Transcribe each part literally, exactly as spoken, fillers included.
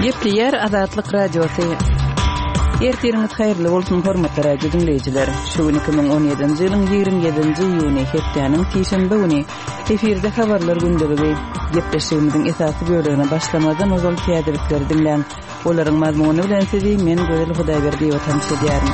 Gepleýär Azatlyk Radiosy. Ertiriňiz haýyrly bolsun, hormatly radio diňleýjiler. Şu gün iki müň on ýedinji ýylyň ýigrimi ýedinji iýuny, hepdäniň sişenbe güni. Efirde habarlar gündeligi. Gepleşigimiziň esasy bölegine başlamazdan ozal täzelikleri diňläň. Olaryň mazmuny bilen sizi men Gözel Hudaýberdiýewa tanyş edýärin.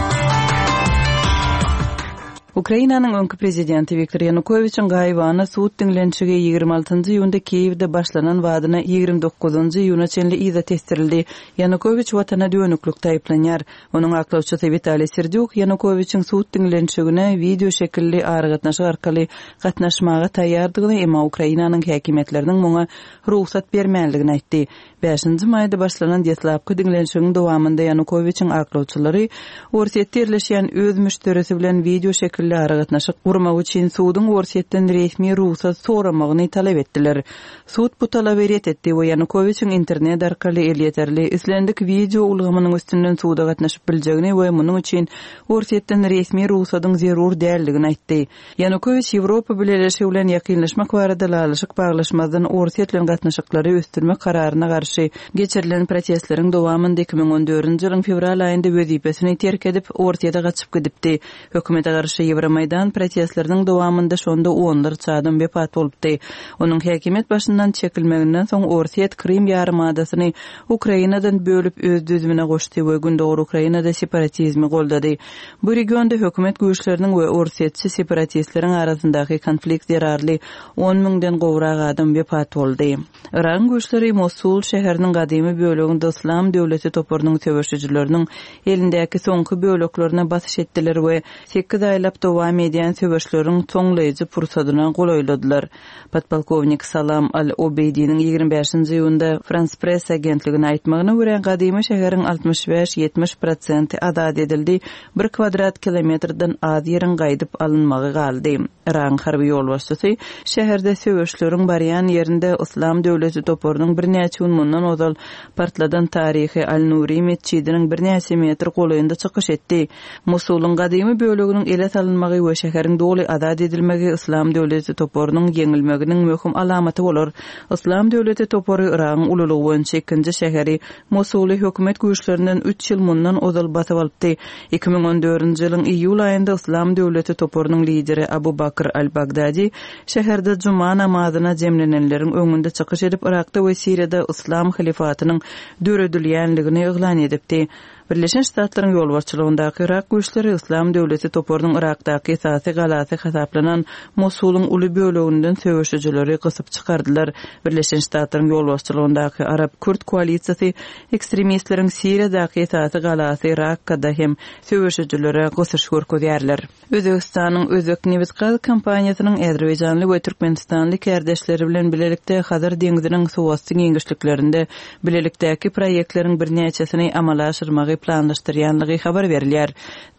Ukrainanyň öňki prezidenti Wiktor Ýanukowiçiň gaýybana sud diňlenişigi ýigrimi altynjy iýunda Kiýewde başlanan badyna ýigrimi dokuzynjy iýuna çenli yza tesdirildi. Ýanukowiç watana dönüklikde aýyplanýar. Onuň aklawçysy Witaliý Serdýuk Ýanukowiçiň sud diňlenişigine wideo şekilli aragatnaşyk arkaly gatnaşmaga taýýardygyny, emma Ukrainanyň häkimiýetleriniň muňa rugsat bermänligini aýtdy. Bäşinji maýda başlanan deslapky diňlenişigiň dowamynda Ýanukowiçiň aklawçylary Orsýetde ýerleşýän öz müşderisi bilen wideo şekilli aragatnaşyk gurmak üçin suduň Orsýetden resmi rugsat soramagyny talap etdiler. Sud bu talaby ret etdi we Ýanukowiçiň internet arkaly elýeterli islendik wideo ulgamynyň üstünden suda gatnaşyp biljegini we munuň üçin Orsýetden resmi rugsadyň zerur däldigini aýtdy. Ýanukowiç Ýewropa Bileleşigi bilen ýakynlaşmak barada ylalaşyk baglaşmazdan Orsýet bilen gatnaşyklary ösdürmek kararyna garşy geçirilen protestleriň dowamynda iki müň on dördünji ýylyň fewral aýynda wezipesini terk edip, Orsýete gaçyp gidipdi. Hökümete garşy Ýewromaýdan protestleriniň dowamynda şonda onlarça adam wepat bolupdy. Onuň häkimiýet başyndan çekilmeginden soň Orsýet Krym ýarymadasyny Ukrainadan bölüp öz düzümine goşdy we Gündogar Ukrainada separatizmi goldady. Bu regionda hökümet güýçleriniň we orsýetçi separatistleriň arasyndaky konflikt zerarly on müňden gowrak adam wepat boldy. Yragyň güýçleri Mosul şäheriniň gadymy böleginde Yslam döwleti toparynyň söweşijileriniň elindäki soňky böleklerine basyş etdiler we sekiz aýlap dowam edýän söweşleriň soňlaýjy pursadyna golaýladylar. Podpolkownik Salam Al-Obeýdiniň ýigrimi bäşinji iýunda Frans Press agentligine aýtmagyna görä, gadymy şäheriň altmyş bäş ýetmiş prosenti azat edildi, bir kvadrat kilometrden az ýeriň gaýdyp alynmagy galdy. Yragyň harby ýolbaşçysy şäherde söweşleriň barýan ýerinde Yslam döwleti toparynyň birnäçe gün mundan ozal partladan taryhy Al-Nuri metjidiniň birnäçe metr golaýynda çykyş etdi. Mosulyň gadymy böleginiň ele salynmagy we şäheriň doly azat edilmegi Yslam döwleti toparynyň ýeňilmeginiň möhüm alamaty bolar. Yslam döwleti topary Yragyň ululygy boýunça ikinji şäheri Mosuly hökümet güýçlerinden üç ýyl mundan ozal basyp alypdy. Iki müň on dördünji ýylyň iýul aýynda Yslam döwleti toparynyň lideri Abu Bakr al-Bagdadi şäherde juma namazyna jemlenenleriň öňünde çykyş edip, Yrakda we Siriýada Yslam halifatynyň döredilýänligini yglan edipdi. Birleşen Ştatlaryň ýolbaşçylygyndaky Yrak güýçleri Yslam döwleti toparynyň Yrakdaky esasy galasy hasaplanan Mosulyň uly böleginden söweşijileri gysyp çykardylar. Birleşen Ştatlaryň ýolbaşçylygyndaky Arap-Kürt koalisiýasy ekstremistleriň Siriýadaky esasy galasy Rakkada hem söweşijilere gysyş görkezýärler. Özbekistanyň Özbek nebit-gaz kompaniýasynyň Azerbaýjanly we Türkmenistanly kärdeşleri bilen bilelikde Hazar deňziniň suwasty giňişliklerinde bilelikdäki proýektleriň birnäçesini amala aşyrmagy planlaşdyrýanlygy habar berilýär.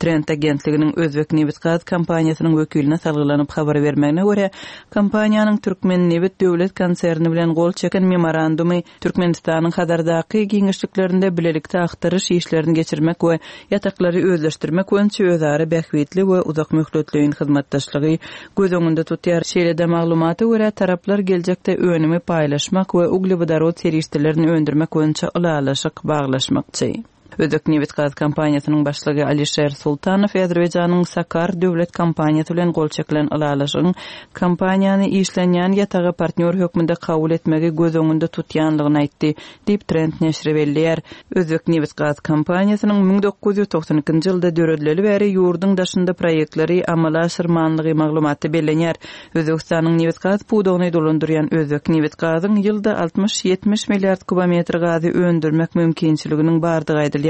Trend agentliginiň Özbek nebit-gaz kompaniýasynyň wekiline salgylanyp habar bermegine görä, kompaniýanyň Türkmen nebit döwlet konserni bilen gol çeken memorandumy Türkmenistanyň Hazardaky giňişliklerinde bilelikde aktaryş işlerini geçirmek we ýataklary özleşdirmek boýunça özara bähbitli we uzak möhletleýin hyzmatdaşlygy göz öňünde tutýar. Şeýle-de maglumata görä, taraplar geljekde önümi paýlaşmak we uglewodorod serişdelerini öndürmek boýunça ylalaşyk baglaşmakçy. Özbek nebit-gaz kompaniýasynyň başlygy Alişer Sultanow Azerbaýjanyň Sakar döwlet kompaniýasy bilen gol çekilen ylalaşygyň kompaniýany işlenýän ýataga partnýor hökmünde kabul etmegi göz öňünde tutýanlygyny aýtdy, diýip Trend neşiri belleýär. Özbek nebit-gaz kompaniýasynyň müň dokuz ýüz togsan ikinji ýylda döredileli bäri ýurduň daşynda proýektleri amala aşyrmanlygy maglumatda bellenýär. Özbekistanyň nebit-gaz pudagyny dolandyrýan Özbek nebit-gazyň ýylda altmyş ýetmiş milliard kubometr gazy öndürmek mümkinçiliginiň bardygy aýdylýar.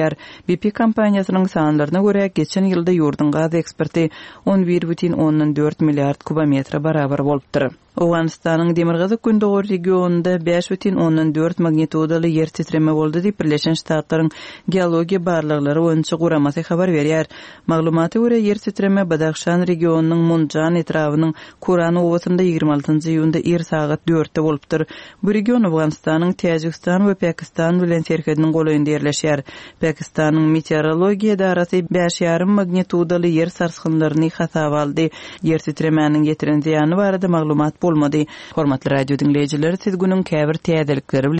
B P kompaniýasynyň sanlaryna görä, geçen ýylda ýurduň gaz eksporty on bir bütin ondan dört milliard kubometre barabar bolupdyr. Owganystanyň Demirgazyk Gündogar regionynda bäş bütin ondan dört magnitudaly ýer titreme boldy diýip Birleşen Ştatlaryň geologiýa barlaglary boýunça guramasy habar berýär. Maglumata görä, ýer titreme Badahşan regionynyň Munjan etrabynyň Kuran obasynda ýigrimi altynjy iýunda ir sagat dörtde bolupdyr. Bu region Owganystanyň Täjigistan we Pakistan bilen serhediniň golaýynda ýerleşýär. Pakistanyň meteorologiýa edarasy bäş ýarym magnitudaly ýer sarsgynlaryny hasaba aldy. Ýer titremäniň ýetiren zyýany barada maglumat bolmady. Hormatly radio diňleýjiler, siz günüň käbir täzelikleri bilen